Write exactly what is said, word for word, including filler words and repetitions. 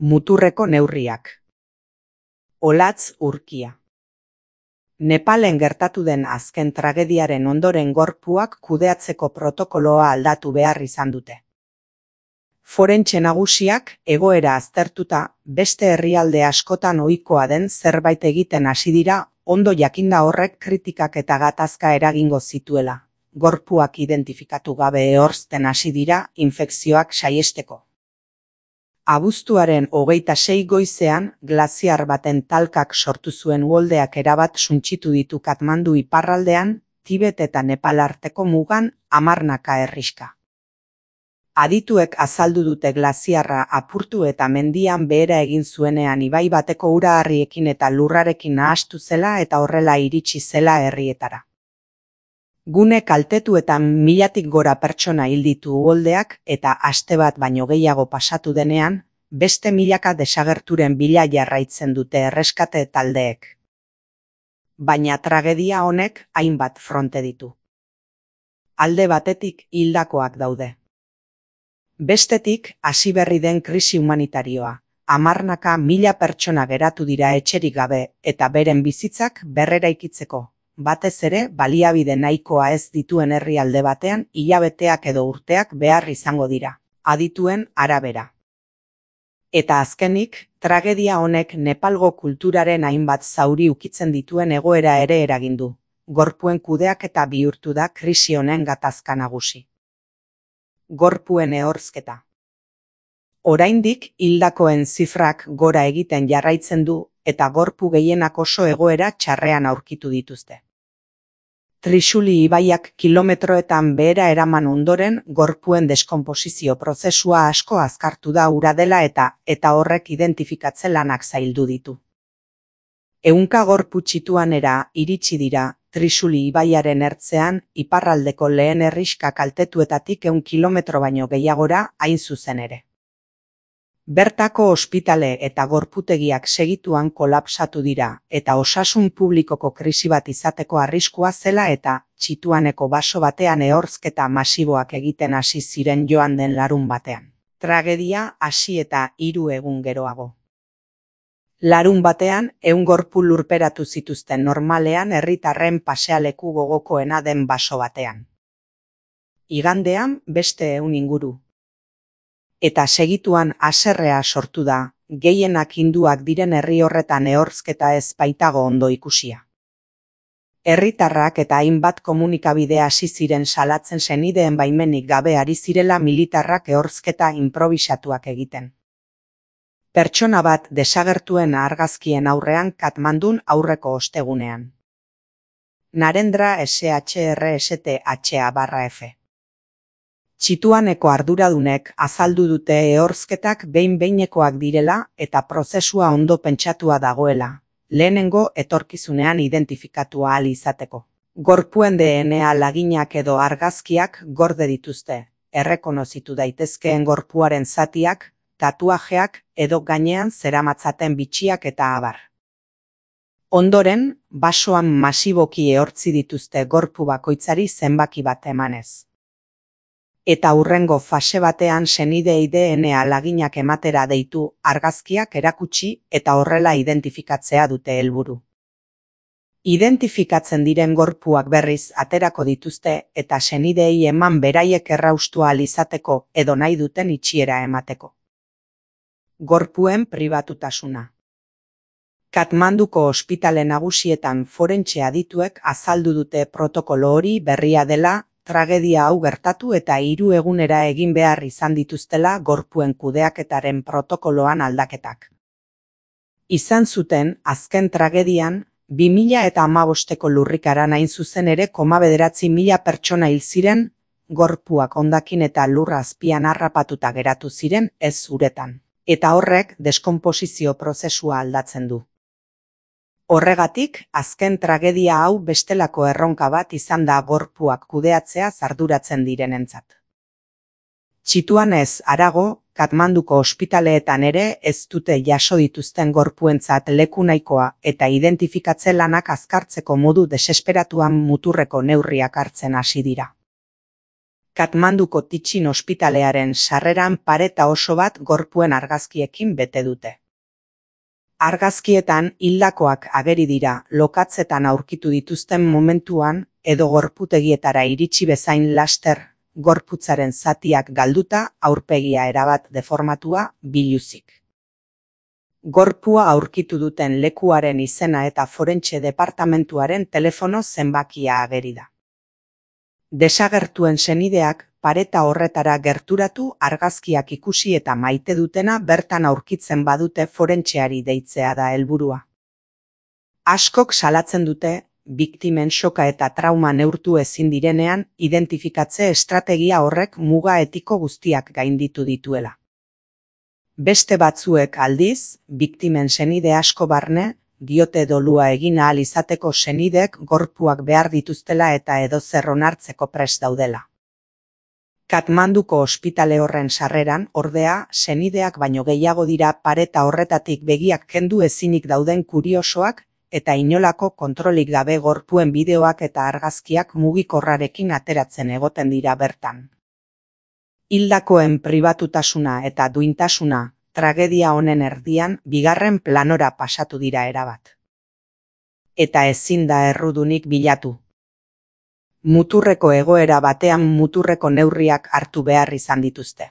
Muturreko neurriak. Olatz urkia. Nepalen gertatu den azken tragediaren ondoren gorpuak kudeatzeko protokoloa aldatu behar izan dute. Forentxe nagusiak egoera aztertuta beste herrialde askotan ohikoa den zerbait egiten hasi dira, ondo jakinda horrek kritikak eta gatazka eragingo zituela. Gorpuak identifikatu gabe ehorzten hasi dira infekzioak saihesteko. Abuztuaren hogeita sei goizean, glaziar baten talkak sortu zuen uholdeak erabat suntsitu ditu Katmandu iparraldean, Tibet eta Nepal arteko mugan hamarnaka herrixka. Adituek azaldu dute glaziarra apurtu eta mendian behera egin zuenean ibai bateko ura harriekin eta lurrarekin nahastu zela eta horrela iritsi zela herrietara. Gune kaltetuetan milatik gora pertsona hil ditu uholdeak eta aste bat baino gehiago pasatu denean, beste milaka desagerturen bila jarraitzen dute erreskate taldeek. Baina tragedia honek hainbat fronte ditu. Alde batetik hildakoak daude. Bestetik hasi berri den krisi humanitarioa. Hamarnaka mila pertsona geratu dira etxerik gabe eta beren bizitzak berreraikitzeko. Batez ere, baliabide nahikoa ez dituen herrialde batean hilabeteak edo urteak behar izango dira, adituen arabera. Eta azkenik, tragedia honek Nepalgo kulturaren hainbat zauri ukitzen dituen egoera ere eragindu. Gorpuen kudeaketa bihurtu da krisi honen gatazka nagusi. Gorpuen ehorzketa. Oraindik hildakoen zifrak gora egiten jarraitzen du eta gorpu gehienak oso egoera txarrean aurkitu dituzte. Trixuli ibaiak kilometroetan behera eraman ondoren gorpuen deskonposizio prozesua asko azkartu da ura dela eta eta horrek identifikatze lanak zaildu ditu. Ehunka gorpu txituanera iritsi dira Trixuli ibaiaren ertzean iparraldeko lehen herrixka kaltetuetatik ehun kilometro baino gehiagora hain zuzen ere. Bertako ospitale eta gorputegiak segituan kolapsatu dira eta osasun publikoko krisi bat izateko arriskua zela eta txituaneko baso batean ehorzketa masiboak egiten hasi ziren joan den larun batean. Tragedia hasi eta hiru egun geroago. Larun batean ehun gorpu lurperatu zituzten normalean herritarren pasealeku gogokoena den baso batean. Igandean beste ehun inguru. Eta segituan haserrea sortu da, gehienak hinduak diren herri horretan ehorzketa ez baitago ondo ikusia. Herritarrak eta hainbat komunikabide hasi ziren salatzen senideen baimenik gabe ari zirela militarrak ehorzketa inprobisatuak egiten. Pertsona bat desagertuen argazkien aurrean Katmandun aurreko ostegunean. Narendra S H R S T H A barra F. Txituaneko arduradunek azaldu dute ehorzketak behin-behinekoak direla eta prozesua ondo pentsatua dagoela, lehenengo etorkizunean identifikatu ahal izateko. Gorpuen D N A laginak edo argazkiak gorde dituzte, errekonozitu daitezkeen gorpuaren zatiak, tatuajeak edo gainean zeramatzaten bitxiak eta abar. Ondoren, basoan masiboki ehortzi dituzte gorpu bakoitzari zenbaki bat emanez. Eta hurrengo fase batean senideei D N A laginak ematera deitu argazkiak erakutsi eta horrela identifikatzea dute helburu. Identifikatzen diren gorpuak berriz aterako dituzte eta senideei eman beraiek erraustu ahal izateko edo nahi duten itxiera emateko. Gorpuen pribatutasuna. Katmanduko ospitale nagusietan forentxe adituek azaldu dute protokolo hori berria dela, tragedia hau gertatu eta hiru egunera egin behar izan dituztela gorpuen kudeaketaren protokoloan aldaketak. Izan zuten, azken tragedian, bi mila hamabosteko lurrikaran hain zuzen ere koma bederatzi mila pertsona hil ziren, gorpuak hondakin eta lurra azpian harrapatuta geratu ziren ez uretan, eta horrek deskonposizio prozesua aldatzen du. Horregatik, azken tragedia hau bestelako erronka bat izan da gorpuak kudeatzea arduratzen direnentzat. Txituanez harago, Katmanduko ospitaleetan ere ez dute jaso dituzten gorpuentzat leku nahikoa eta identifikatze lanak azkartzeko modu desesperatuan muturreko neurriak hartzen hasi dira. Katmanduko Tichin ospitalearen sarreran pareta oso bat gorpuen argazkiekin bete dute. Argazkietan hildakoak ageri dira lokatzetan aurkitu dituzten momentuan edo gorputegietara iritsi bezain laster, gorputzaren zatiak galduta aurpegia erabat deformatua biluzik. Gorpua aurkitu duten lekuaren izena eta forentxe departamentuaren telefono zenbakia ageri da. Desagertuen senideak pareta horretara gerturatu argazkiak ikusi eta maite dutena bertan aurkitzen badute forentxeari deitzea da helburua. Askok salatzen dute, biktimen soka eta trauma neurtu ezin direnean identifikatze estrategia horrek muga etiko guztiak gainditu dituela. Beste batzuek aldiz, biktimen senide asko barne, diote dolua egin ahal izateko senideek gorpuak behar dituztela eta edozer onartzeko prest daudela. Katmanduko ospitale horren sarreran, ordea, senideak baino gehiago dira pareta horretatik begiak kendu ezinik dauden kuriosoak eta inolako kontrolik gabe gorpuen bideoak eta argazkiak mugikorrarekin ateratzen egoten dira bertan. Hildakoen pribatutasuna eta duintasuna, tragedia honen erdian bigarren planora pasatu dira erabat. Eta ezin da errudunik bilatu. Muturreko egoera batean muturreko neurriak hartu behar izan dituzte.